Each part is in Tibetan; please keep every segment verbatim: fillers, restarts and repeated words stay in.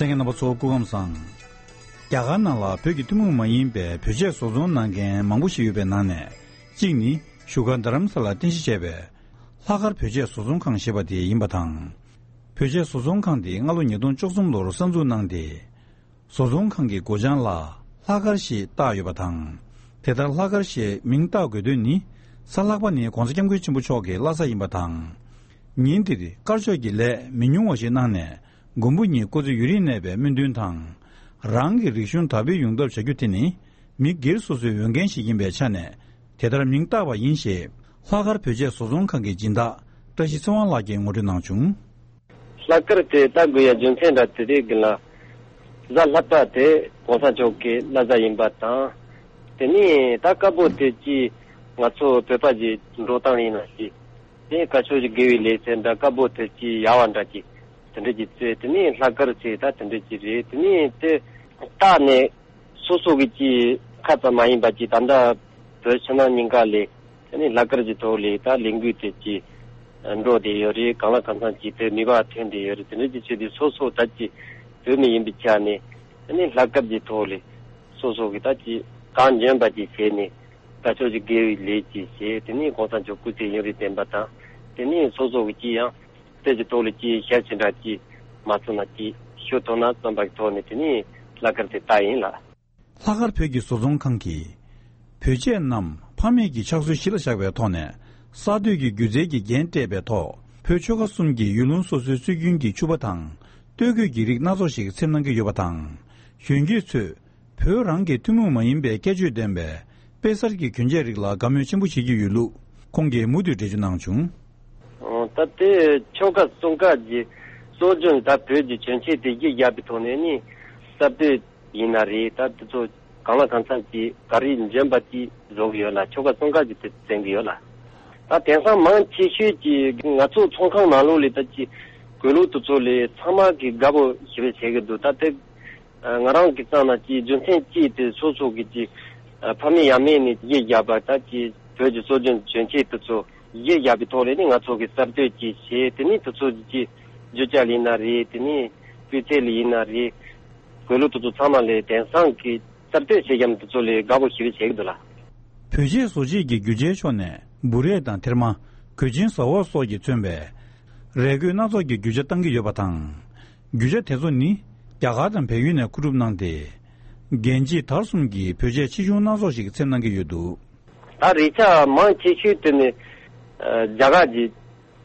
ལྷན་རྒྱས་རྣམ་པ་ཚོ་སྐུ་ཁམས་བཟང་། རྒྱ་གར་ནང་ལ་བོད་ཀྱི་ཐུན་མོང་མ་ཡིན་པའི་བོད་ཆས་བཟོ་ཚོང་གནང་མཁན་མང་པོ་ཞིག་ཡོད་པའི་ནང་ནས། གཅིག་ནི་བཞུགས་སྒར་རྡ་རམ་ས་ལར་རྟེན་གཞི་བྱས་པའི་ལྷག་དཀར་བོད་ཆས་བཟོ་ཚོང་ཁང་ཞེས་པ་དེ་ཡིན་པ་དང་། བོད་ཆས་བཟོ་ཚོང་ཁང་དེ་སྔ་ལོ་ཉིས་སྟོང་བཅུ་གསུམ་ལོར་གསར་འཛུགས་གནང་སྟེ། བཟོ་ཚོང་ཁང་གི་སྒོ་བྱང་ལ་ལྷག་དཀར་ཞེས་བཏགས་ཡོད་པ་དང་། དེ་ལྟར་ལྷག་དཀར་ཞེས་མིང་བཏགས་དགོས་དོན་ནི། གཟའ་ལྷག་པ་ནི་༸གོང་ས་༸སྐྱབས་མགོན་ཆེན་པོ་མཆོག་གི་བླ་གཟའ་ཡིན་པ་དང་། ཉིན་དེར་དཀར་ཕྱོགས་ཀྱི་ལས་མི་ཉུང་བ་ཞིག་གནང་ནས། མགོན་པོ་ཉིད་སྐུ་ཚེ་ཡུན་རིང་གནས་པའི་སྨོན་འདུན་དང་། རང་གི་རིག་གཞུང་དར་སྤེལ་ཡོང་ཐབས་བྱ་རྒྱུ་དེ་ནི། མི་སྒེར་སོ་སོའི་འོས་འགན་ཞིག་ཡིན་པའི་ཆ་ནས། དེ་ལྟར་མིང་བཏགས་པ་ཡིན་ཞེས། ལྷག་དཀར་བོད་ཆས་བཟོ་ཚོང་ཁང་གི་སྦྱིན་བདག་བཀྲ་ཤིས་ཚེ་དབང་ལགས་ཀྱིས་ངོ་སྤྲོད་གནང་བྱུང་། ལྷག་དཀར་དེ་བཏགས་དགོས་ཡ་རྒྱུ་མཚན་འདྲ་དེ་རེད་གི་ལ། གཟའ་ལྷག་པ་དེ་༸གོང་ས་མཆོག་གི་བླ་གཟའ་ཡིན་པ་དང་། དེ་ནས་ད་དཀར་པོ་དེ་ཅི་ང་ཚོ་བོད་པ་གི་འགྲོ་སྟངས་ཡིན་ན་ཞིག་དེ་དཀར་ཕྱོགས་ཀྱི་དགེ་བའི་ལས་ཟེར་འདྲ་དཀར་པོ་དེ་ཅི་ཡག་པ་འདྲ་ཅིག་དེ་འདྲ་ཅིག་བཙལ། དེ་ནས་ལྷག་དཀར་ཟེར་ད་དེ་འདྲ་ཅིག་རེད། དེ་ནས་དེ་བཏགས་ནས། སོ་སོ་གི་ཅི་ཁ་ཙམ་མ་ཡིན་པ་ཅི་ད་ལྟ་བོད་ཕྱི་ནང་གཉིས་ཀ་ལས་ཨ་ནི་ལྷག་དཀར་གྱི་ཐོག་ལས་ད་ལས་འགུལ་དེ་ཅི་འགྲོ་བསྡད་ཡོད་རེད། གང་ལ་གང་འཚམ་ཅི་བོད་མི་བར་ཐོན་བསྡད་ཡོད་རེད། དེ་འདྲ་ཅི་བྱས་ཏེ་སོ་སོ་ད་ཅི་བོད་མི་ཡིན་པའི་ཆ་ནས་ཨ་ནི་ལྷག་དཀར་གྱི་ཐོག་ལས་སོ་སོ་གི་ད་ཅི་གང་འཇོན་པ་ཅི་བྱས་ནས་ད་ཕྱོགས་ཀྱི་དགེ་བའི་ལས་ཅི་བྱས། དེ་ནས་གོང་ས་མཆོག་སྐུ་ཚེ་ཡུན་རིང་བརྟན་པ་དང་། དེ་ནས་སོ་སོ་གི་ཅི་ཡང་། དེ་གི་ཐོག་ལ་ཅིག་ཞབས་ཕྱི་འདྲ་ཅིག་མ་ཚང་ན་ཅིག་ཞུ་ཐུབ་ན་བསམ་པ་གི་ཐོག་ནས་དེ་ནི་ལྷག་དཀར་དེ་བཏགས་ཡིན་ལགས། ལྷག་དཀར་བོད་ཀྱི་བཟོ་ཚོང་ཁང་གིས་བོད་ཆས་རྣམས་ཕ་མེས་ཀྱི་ཕྱག་སྲོལ་གཞི་ལ་བཞག་པའི་ཐོག་ནས་གསར་གཏོད་ཀྱི་སྒྱུ་རྩལ་གྱི་རྒྱན་སྤྲས་པའི་ཐོག་བོད་ཆོལ་ཁ་གསུམ་གྱི་ཡུལ་ལུང་སོ་སོའི་སྲོལ་རྒྱུན་གྱི་ཕྱུ་པ་དང་སྟོད་གོས་ཀྱི་རིགས་སྣ་ཚོགས་ཤིག་འཚེམ་གནང་གི་ཡོད་པ་དང་། གཞོན་སྐྱེས་ཚོས། བོད་རང་གི་ཐུན་མོང་མ་ཡིན་པའི་ཁྱད་ཆོས་ལྡན་པའི་དཔེ་གསར་གྱི་གྱོན་ཆས་རིགས་ལ་དགའ་མོས་ཆེན་པོ་བྱེད་ཀྱི་ཡོད་ལུགས་ཁོང་གིས་མུ་མཐུད་འགྲེལ་བརྗོད་གནང་བྱུང་། ཨོ། ད་ལྟའི་ཆོལ་ཁ་གསུམ་ཀ་གི་སྲོལ་རྒྱུན་ད་བོད་ཀྱི་གྱོན་ཆས་དེ་གཞི་བཞག་པའི་ཐོག་ནས་ནི་གསར་གཏོད་ཡིན་ན་རེད། ད་དེ་ཚོ་གང་ལ་གང་འཚམ་གྱི་ག་རེ་འཇོན་པ་ཅིག་བཟོ་གི་ཡོད་ལ། ཆོལ་ཁ་གསུམ་ཀ་གི་དེ་བཙན་གི་ཡོད་ལ། ད་དེང་སང་མང་ཆེ་ཤོས་ཀྱི་ང་ཚོ་ཚོང་ཁང་ནང་ལོགས་ལས་ད་ཅི་གོས་ལུགས་དེ་ཚོ་ལས་ཚང་མ་གི་དགའ་པོ་ཞེ་པོ་བྱེད་ཀྱི་འདུག་ད་དེ། ང་རང་གི་རྩ་ན་ཅིག་རྒྱུ་མཚན་ཅིག་དེ་སོ་སོ་གི་ཅིག་ཕ་མེས་ཡང་མེས་ནས་གཞི་བཞག་པ་ད་ཅིག་བོད་ཀྱི་སྲོལ་རྒྱུན་གྱོན་ཆས་དེ་ཚོ་གཞི་བཞག་པའི་ཐོག་ལས་ནི་ང་ཚོ་གི་གསར་གཏོད་ཅིག་བྱས། དེ་ནི་དེ་ཚོ་ཅིག་རྒྱུ་ཆ་ལ་ཡིན་ན་རེད། དེ་ནི་སྤུས་ཚད་ལ་ཡིན་ན་རེད། གོས་ལུགས་དེ་ཚོ་ཚང་མ་ལས་དེང་སང་གི་གསར་གཏོད་བྱེད་རྒྱུ་དེ་ཚོ་ལས་དགའ་པོ་ཞེ་པོ་བྱེད་ཀྱི་འདུག་ལ། བོད་ཆས་བཟོ་བྱེད་ཀྱི་རྒྱུ་ཆའི་ཕྱོགས་ནས་འབུ་རས་དང་ཐེར་མ། གོས་ཆེན་ཟ་འོག་སོགས་ཀྱིས་མཚོན་པའི་རས་གོས་སྣ་ཚོགས་ཀྱི་རྒྱུ་ཆ་བཏང་གི་ཡོད་པ་དང་། རྒྱུ་ཆ་དེ་ཚོ་ནི་རྒྱ་གར་དང་བལ་ཡུལ་ནས་མཁོ་སྒྲུབ་གནང་སྟེ། རྒྱལ་སྤྱིའི་དར་གསུམ་གྱི་བོད་ཆས་ཆེ་ཆུང་སྣ་ཚོགས་ཤིག་འཚེམ་གནང་གི་ཡོད་འདུག་ད་རས་ཆ་མང་ཆེ་ཤོས་དེ་ནི་རྒྱ་གར་གྱི་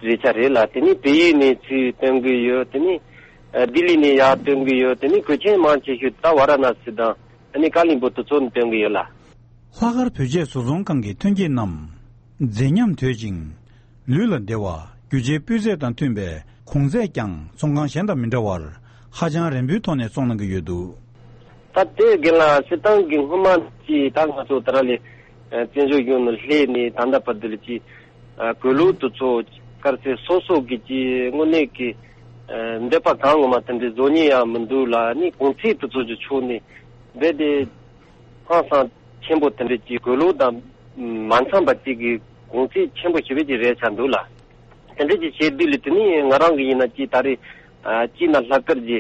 རས་ཆ་རེད་ལ། དེ་ནི་བལ་ཡུལ་ནས་ཚུར་བཏོན་གི་ཡོད། དེ་ནི་ལྡི་ལི་ནས་ཡར་བཏོན་གི་ཡོད། དེ་ནི་གོས་ཆེན་མང་ཆེ་ཤོས་ད་ཝ་ར་ཎ་སི་དང་ཨ་ནི་ཀ་ལིང་པོ་དེ་ཚོ་ནས་བཏོན་གི་ཡོད་ལ། ལྷག་དཀར་བོད་ཆས་བཟོ་ཚོང་ཁང་གི་ཐོན་སྐྱེད་རྣམས་མཛེས་ཉམས་དོད་ཅིང་། ལུས་ལ་བདེ་བ། རྒྱུ་ཆའི་སྤུས་ཚད་དང་མཐུན་པའི་གོང་ཚད་ཀྱང་ཚོང་ཁང་གཞན་དང་མི་འདྲ་བར་ཧ་ཅང་རན་པོའི་ཐོག་ནས་བཙོང་གནང་གི་ཡོད་འདུག་ད་ལྟའི་རྒན་ལགས་སྤྱིར་བཏང་གི་སྔོན་མ་ཅིག་ད་ང་ཚོ་ད་ར་ལས་བཙན་བྱོལ་གཞུང་ནས་སླེབས་ནས་ད་ལྟ་བར་དུ་ལ་ཅིག་གོས་ལུགས་དེ་ཚོ་དཀར་ཟས་སོ་སོ་གི་ཅིག་དངོས་གནས་ཀྱི་འདོད་པ་གང་ངོ་མ་དེ་འདྲའི་བཟོ་མཁན་ཡང་མི་འདུག་ལ། ནི་གོང་ཚད་དེ་ཚོ་ཅིག་ཕྱོགས་ནས་རྦད་དེ་ཧང་སང་ཆེན་པོ་དེ་འདྲ་ཅིག་གོས་ལུགས་དང་མ་འཚམས་པ་ཅིག་གི་གོང་ཚད་ཆེན་པོ་ཞེ་པོ་ཅིག་རེད་ཆགས་འདུག་ལ། དེ་འདྲ་ཅིག་བྱས་དུས་ལ་དེ་ནི་ང་རང་གི་ཡིན་ན་ཅིག་ད་རེས་ཨ་ཅིག་ན་ལྷག་དཀར་གྱི་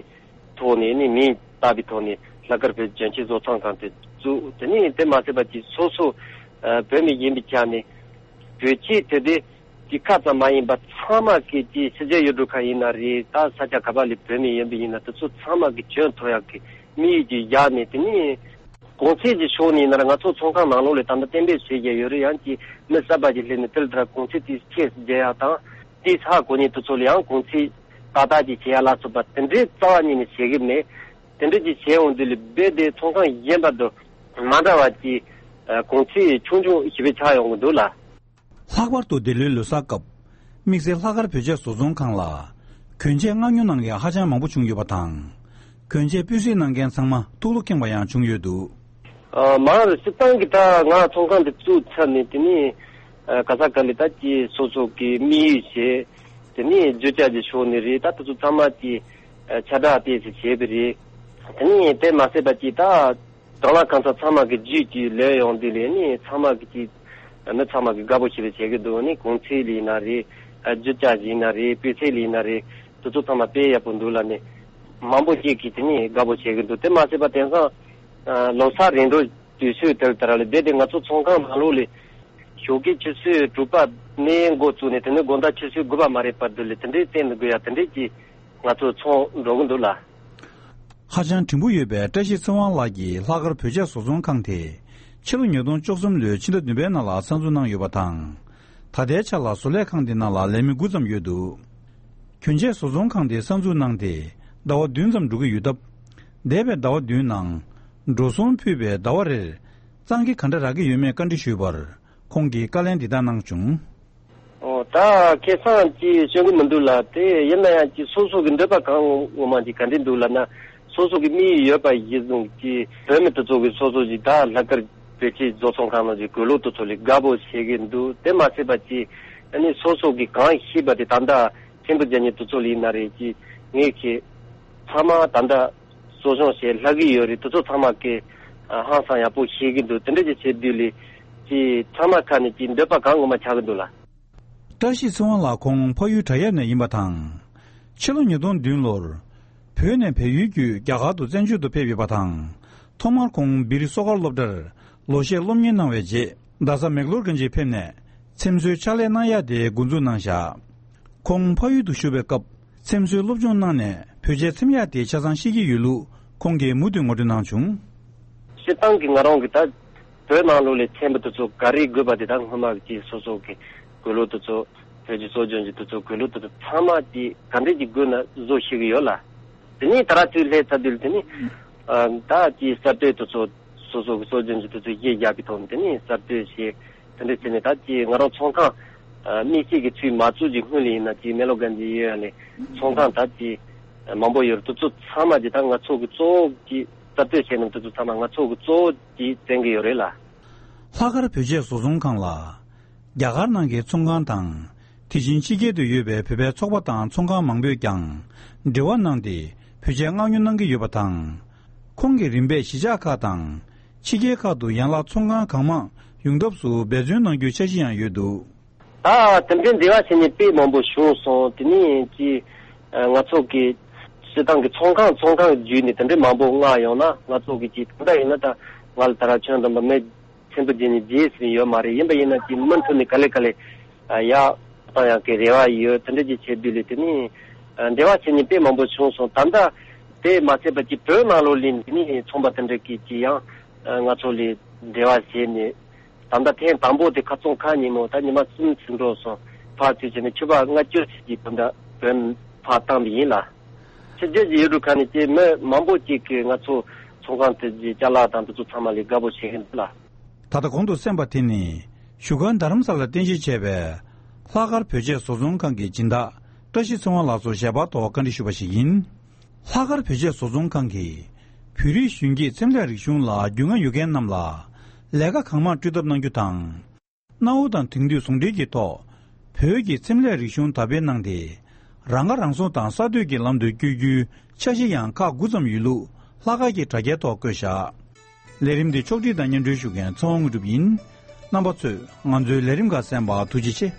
ཐོག་ནས་ནི་མིང་བཏགས་པའི་ཐོག་ནས་ལྷག་དཀར་བོད་གྱོན་ཆས་བཟོ་ཚོང་ཁང་དེ་བཙུགས། དེ་ནི་དེ་མ་ཟད་པ་ཅིག་སོ་སོ་ཨ་བོད་མི་ཡིན་པའི་ཆ་ནས་བོད་ཆས་དེ་དེ་ཅིག་ཁ་ཙམ་མ་ཡིན་པ་ཚང་མ་གི་ཅིག་ཕྱི་རྒྱལ་ཡུལ་གྲུ་ཁག་ཡིན་ན་རེད། ད་ས་ཆ་ག་པ་ལ་བོད་མི་ཡིན་པ་ཡིན་ན་དེ་ཚོ་ཚང་མ་གི་གྱོན་ཐུབ་ཡག་གི་དམིགས་ཡུལ་ཅིག་བཞག་ནས། དེ་ནི་གོང་ཚད་ཀྱི་ཕྱོགས་ནས་ཡིན་ན་ར་ང་ཚོ་ཚོང་ཁང་ནང་ལོགས་ལ་ད་ལྟ་གཏན་འབེབས་བྱེད་བཞིན་ཡོད་རེད། ཡང་ཅིག་མི་གསར་པ་ཅིག་སླེབས་ནས་དེ་ལ་ད་གོང་ཚད་དེ་ཁྱད་བརྒྱབ་ཡག་དང་དེ་ཧ་གོ་མཁན་དེ་ཚོ་ལ་ཡང་གོང་ཚད་ཏག་ཏག་ཅིག་བྱེད་ཡག་ལ་སོགས་པ་དེ་འདྲའི་རྩ་བ་ཉིད་ནས་བྱེད་གི་མེད། དེ་འདྲ་ཅིག་བྱས་འོང་དུས་ལ་རྦད་དེ་ཚོང་ཁང་གཞན་པ་དང་མ་འདྲ་བ་ཅིག་གོང་ཚད་ཆུང་ཆུང་ཞེ་པོ་ཆགས་ཡོང་གི་འདུག་ལ། ལྷག་པར་དུ་འདི་ལོའི་ལོ་གསར་སྐབས་དམིགས་བསལ་ལྷག་དཀར་བོད་ཆས་བཟོ་ཚོང་ཁང་ལ་གྱོན་ཆས་མངགས་ཉོ་གནང་མཁན་ཧ་ཅང་མང་པོ་བྱུང་ཡོད་པ་དང་། གྱོན་ཆས་སྤུས་གཟིགས་གནང་མཁན་ཚང་མ་ཐུགས་བློ་ཁེངས་པ་ཡང་བྱུང་ཡོད་འདུག་ཨ་མ་རེད། སྤྱིར་བཏང་གི་ད་ང་ཚོང་ཁང་འདི་བཙུགས་ཚར་ནས་དེ་ནས་ཨ་ག་ས་ག་ལ་ད་ཅི་སོ་སོ་གི་དམིགས་ཡུལ་བྱས། དེ་ནས་རྒྱུ་ཆ་གི་ཕྱོགས་ནས་རེད། ད་དེ་ཚོ་ཚང་མ་ཅི་ཨ་ཁྱབ་བསྒྲགས་དེ་ཚོ་བྱས་པ་རེད། དེ་ནས་དེ་མ་ཟད་པ་ཅི་ད། གང་ལ་གང་འཚམ་ཚང་མ་གི་རྒྱུད་ཀྱི་ལོན་ཡོང་དུས་ལས་ནི་ཚང་མ་གི་ཅིག་མི་ཚང་མ་གི་དགའ་པོ་ཞེ་པོ་བྱེད་ཀྱི་འདུག་ནི་གོང་ཚད་ལ་ཡིན་ན་རེད། རྒྱུ་ཆ་ལ་ཡིན་ན་རེད། སྤུས་ཚད་ལ་ཡིན་ན་རེད། དེ་ཚོ་ཚང་མ་དཔེ་ཡག་པོ་འདུག་ལ་ནི། མང་པོ་ཅིག་གིས་དེ་ནི་དགའ་པོ་བྱེད་ཀྱི་འདུག་དེ་མ་ཟད་པ་དེང་སང་ལོ་གསར་རིང་འགྲོ་དུས་ཚོད་དེར་དེ་ར་ལས་བསྡད་དེ་ང་ཚོ་ཚོང་ཁང་ནང་ལོགས་ལས་ཞོགས་ཀའི་ཆུ་ཚོད་དྲུག་པ་ནས་འགོ་བཙུགས་ནས་དེ་ནི་དགོང་དག་ཆུ་ཚོད་དགུ་པ་མ་རེད་བར་དུ་ལས་དེ་འདྲའི་བཙོང་དགོས་ཡ་དེ་འདྲའི་ཅིག་ང་ཚོ་ཚོང་འགྲོ་གི་འདུག་ལ། ཧ་ཅང་བྲིན་པོ་ཡོད་པའི་བཀྲ་ཤིས་ཚེ་དབང་ལགས་ཀྱིས་ལྷག་དཀར་བོད་ཆས་བཟོ་ཚོང་ཁང་དེ་ཕྱི་ལོ་ཉིས་སྟོང་བཅུ་གསུམ་ལོའི་ཕྱི་ཟླ་བདུན་པའི་ནང་ལ་གསར་འཛུགས་གནང་ཡོད་པ་དང་། ད་ལྟའི་ཆ་ལ་བཟོ་ལས་ཁང་དེ་ནང་ལ་ལས་མི་དགུ་ཙམ་ཡོད་འདུག་གྱོན་ཆས་བཟོ་ཚོང་ཁང་དེ་གསར་འཛུགས་གནང་སྟེ་ཟླ་བ་བདུན་ཙམ་འགྲོ་གི་ཡོད་སྟབས། འདས་པའི་ཟླ་བ་བདུན་ནང་། འགྲོ་སོང་ཕུལ་བའི་ཟླ་བ་རེར་གཙང་ཁེ་ག་འདྲ་རག་གི་ཡོད་མེད་བཀའ་འདྲི་ཞུས་པར། ཁོང་གིས་བཀའ་ལན་འདི་ལྟར་གནང་བྱུང་། ཨོ་ད་ཁེ་བཟང་ཅིག་སྤྱོད་གི་མི་འདུག་ལ། དེ་ཡིན་ན་ཡང་ཅིག་སོ་སོ་གི་འདོད་པ་གང་ངོ་མ་ཅིག་ག་འདྲ་འདུག་ལབ་ན། སོ་སོ་གི་དམིགས་ཡུལ་ཡོད་པ་གཞིར་བཟུང་ཅིག་བོད་མི་དེ་ཚོ་གི་སོ་སོ་ཅིག་ད་ལྷག་དཀར་བོད་ཆས་བཟོ་ཚོང་ཁང་ནང་གི་དགོས་ལོ་དེ་ཚོ་ལས་དགའ་པོ་བྱེད་གི་འདུག་དེ་མ་ཟད་པ་ཅིག་ཨ་ནི་སོ་སོ་གི་གང་ཤེས་པ་དེ་ད་ལྟ་ཕྲན་བུ་རྒྱ་ཉེ་དེ་ཚོ་ལ་ཡིན་ན་རེད། ཅིག་ངས་ཁེ་ཚང་མ་ད་ལྟ་གསོ་སྦྱོང་བྱེད་ལྷག་གི་ཡོད་རེད། དེ་ཚོ་ཚང་མ་གི་ཧང་སང་ཡག་པོ་ཤེས་ཀྱི་འདུག་དེ་འདྲ་ཅིག་བྱེད་དུས་ལས་ཅིག་ཚང་མ་ཁ་ནས་ཅིག་འདོད་པ་གང་ངོ་མ་ཆགས་ཀྱི་འདུག་ལ། བཀྲ་ཤིས་ཚེ་དབང་ལགས་ཁོང་ཕ་ཡུལ་བྲག་གཡབ་ནས་ཡིན་པ་དང་། ཕྱི་ལོ་ཉིས་སྟོང་བདུན་ལོར་བོད་ནས་བལ་ཡུལ་བརྒྱུད་རྒྱ་གར་དུ་བཙན་བྱོལ་དུ་ཕེབས་ཡོད་པ་དང་། ཐོག་མར་ཁོང་སྦིར་གསོ་སྒར་སློབ་གྲྭར་ལོ་ཤས་སློབ་གཉེར་གནང་བའི་རྗེས། རྡ་ས་མེག་ལོར་གན་ཇིར་ཕེབས་ནས་འཚེམ་བཟོའི་ཕྱག་ལས་གནང་ཡ་དེ་འགོ་འཛུགས་གནང་བཞག་ཁོང་ཕ་ཡུལ་དུ་བཞུགས་པའི་སྐབས་འཚེམ་བཟོའི་སློབ་སྦྱོང་གནང་ནས་བོད་ཆས་འཚེམ་ཡ་དེ་ཆ་ཚང་ཤེས་ཀྱི་ཡོད་ལུགས་ཁོང་གིས་མུ་མཐུད་ངོ་སྤྲོད་གནང་བྱུང་། སྤྱིར་བཏང་གི་ང་རང་གི་ད་བོད་ནང་ལོགས་ལ་འཚེམ་པ་དེ་ཚོ་ག་རེ་དགོས་པ་དེ་དག་སྔོན་མ་གི་སོ་སོ་གི་དགོས་ལོ་དེ་ཚོ་བོད་ཀྱི་སྲོལ་རྒྱུན་གྱི་དེ་ཚོ་དགོས་ལོ་དེ་ཚོ་ཚང་མ་དེ་ག་འདྲས་ཀྱི་དགོས་ན་བཟོ་ཤེས་གི་ཡོད་ལ། དེ་ནས་ད་ར་ཚུར་སླེབས་ཚར་དུས་དེ་ནས་ད་དེ་གསར་གཏོད་དེ་ཚོ་སོ་སོ་གི་སྲོལ་རྒྱུན་གྱི་དེ་ཚོ་གཞི་བཞག་གི་ཐོག་ནས་དེ་ནས་གསར་གཏོད་བྱས། དེ་འདྲས་བྱས་ནས་ད་ཅི་ང་རང་ཚོང་ཁང་དམིགས་བསལ་གྱི་ཚུལ་མ་བཙུགས་ཀྱི་སྔོན་ལ་ཡིན་ན་ཅི་མེག་ལོར་གན་ཇི་ཡོད་ཡ་ལས་ཚོང་ཁང་ད་ཅི་མང་པོ་ཡོད་རེད། དེ་ཚོ་ཚང་མ་ཅི་ད་ང་ཚོ་གི་གཙོ་བོ་ཅི་གསར་གཏོད་བྱས་ནས་དེ་ཚོ་ཚང་མ་ང་ཚོ་གི་གཙོ་བོ་ཅི་བཙན་གྱི་ཡོད་རེད་ལ། ལྷག་དཀར་བོད་ཆས་བཟོ་ཚོང་ཁང་ལ། རྒྱ་གར་ནང་གི་ཚོང་ཁང་དང་། དེ་བཞིན་ཕྱི་རྒྱལ་དུ་ཡོད་པའི་བོད་པའི་ཚོགས་པ་དང་ཚོང་ཁང་མང་པོས་ཀྱང་། འབྲེལ་བ་གནང་སྟེ་བོད་ཆས་མངགས་ཉོ་གནང་གི་ཡོད་པ་དང་། ཁོང་གིས་རིམ་པས་གཞིས་ཆགས་ཁག་དང་། ཕྱི་རྒྱལ་ཁག་ཏུ་ཡན་ལག་ཚོང་ཁང་གང་མང་ཡོང་ཐབས་སུ་འབད་བརྩོན་གནང་རྒྱུའི་འཆར་གཞི་ཡང་ཡོད་འདུག་ད་དེ་འདྲའི་འབྲེལ་བ་བྱེད་མཁན་དཔེ་མང་པོ་བྱུང་སོང་། དེ་ནས་ཅི་ང་ཚོ་གི་སྤྱིར་བཏང་གི་ཚོང་ཁང་ཚོང་ཁང་བརྒྱུད་ནས་དེ་འདྲའི་མང་པོ་མངགས་ཡོང་ན་ང་ཚོ་གི་ཅི་ད་ལྟ་ཡིན་ན་ད་ང་ལ་ད་ར་ཁྱོད་དང་མི་ཚེམ་བུ་རྒྱག་ནས་རྗེས་ཟིན་ཡོད་མ་རེད། ཡིན་པ་ཡིན་ན་ཅི་མུ་མཐུད་ནས་ག་ལེ་ག་ལེ་ཡག་བཏང་ཡག་གི་རེ་བ་ཡོད། དེ་འདྲ་ཅིག་བྱེད་དུས་ལས་དེ་ནས་འབྲེལ་བ་བྱེད་མཁན་དཔེ་མང་པོ་བྱུང་སོང་། ད་ལྟ་དེ་མ་ཚད་པ་ཅི་བོད་ནང་ལོགས་ལ་དེ་ནས་ཚོང་པ་དེ་འདྲ་གི་ཅི་ཡང་ང་ཚོ་ལ་འབྲེལ་བ་བྱས་ནས། ད་ལྟ་ཐེངས་དང་པོ་དེ་ཁ་སང་ཁ་ཉིན་མོ་ད་ཉི་མ་གསུམ་ཕྱིན་འགྲོ་སོང་། ཕར་ཚུར་བྱས་ནས་ཕྱུ་པ་ལྔ་བཅུ་ཙམ་གྱི་བོད་འདྲ་བོད་ཕར་བཏང་བ་ཡིན་ལ། ཕྱི་རྒྱལ་གྱི་ཡུལ་གྲུ་ཁག་ནས་ཀྱི་མི་མང་པོ་ཅིག་གིས་ང་ཚོ་ཚོང་ཁང་དེ་གྱི་ཅ་ལག་དང་དེ་ཚོ་ཚང་མ་ལས་དགའ་པོ་བྱེད་ཀྱི་འདུག་ལ། ད་ལྟ་གོང་དུ་གསན་པ་དེ་ནི་བཞུགས་སྒར་རྡ་རམ་ས་ལར་རྟེན་གཞི་བྱས་པའི་ལྷག་དཀར་བོད་ཆས་བཟོ་ཚོང་ཁང་གི་སྦྱིན་བདག་བཀྲ་ཤིས་ཚེ་དབང་ལགས་སུ་ཞལ་པར་ཐོག་བཀའ་འདྲི་ཞུས་པ་ཞིག་ཡིན། ལྷག་དཀར་བོད་ཆས་བཟོ་ཚོང་ཁང་གིས་བོད་རིགས་གཞོན་སྐྱེས་འཚེམ་ལས་རིག་གཞུང་ལ་རྒྱུས་མངའ་ཡོད་མཁན་རྣམས་ལ་ལས་ཀ་གང་མང་སྤྲོད་ཐབས་གནང་རྒྱུ་དང་། གནའ་བོ་དང་དེང་དུས་ཟུང་འབྲེལ་གྱི་ཐོག་བོད་ཀྱི་འཚེམ་ལས་རིག་གཞུང་དར་སྤེལ་གནང་སྟེ། རང་ཁ་རང་གསོ་དང་གསར་གཏོད་ཀྱི་ལམ་དུ་བསྐྱོད་རྒྱུའི་འཆར་གཞི་ཡང་ཁག་དགུ་ཙམ་ཡོད་ལུགས་ལྷག་དཀར་གྱི་དྲ་རྒྱའི་ཐོག་བཀོད་བཞག་ལས་རིམ་འདི་ཕྱོགས་སྒྲིག་དང་སྙན་སྒྲོན་ཞུ་མཁན་ཚེ་དབང་དངོས་གྲུབ་ཡིན། རྣམ་པ་ཚོས་ང་ཚོའི་ལས་རིམ་ཁག་གསན་པར་ཐུགས་རྗེ་ཆེ།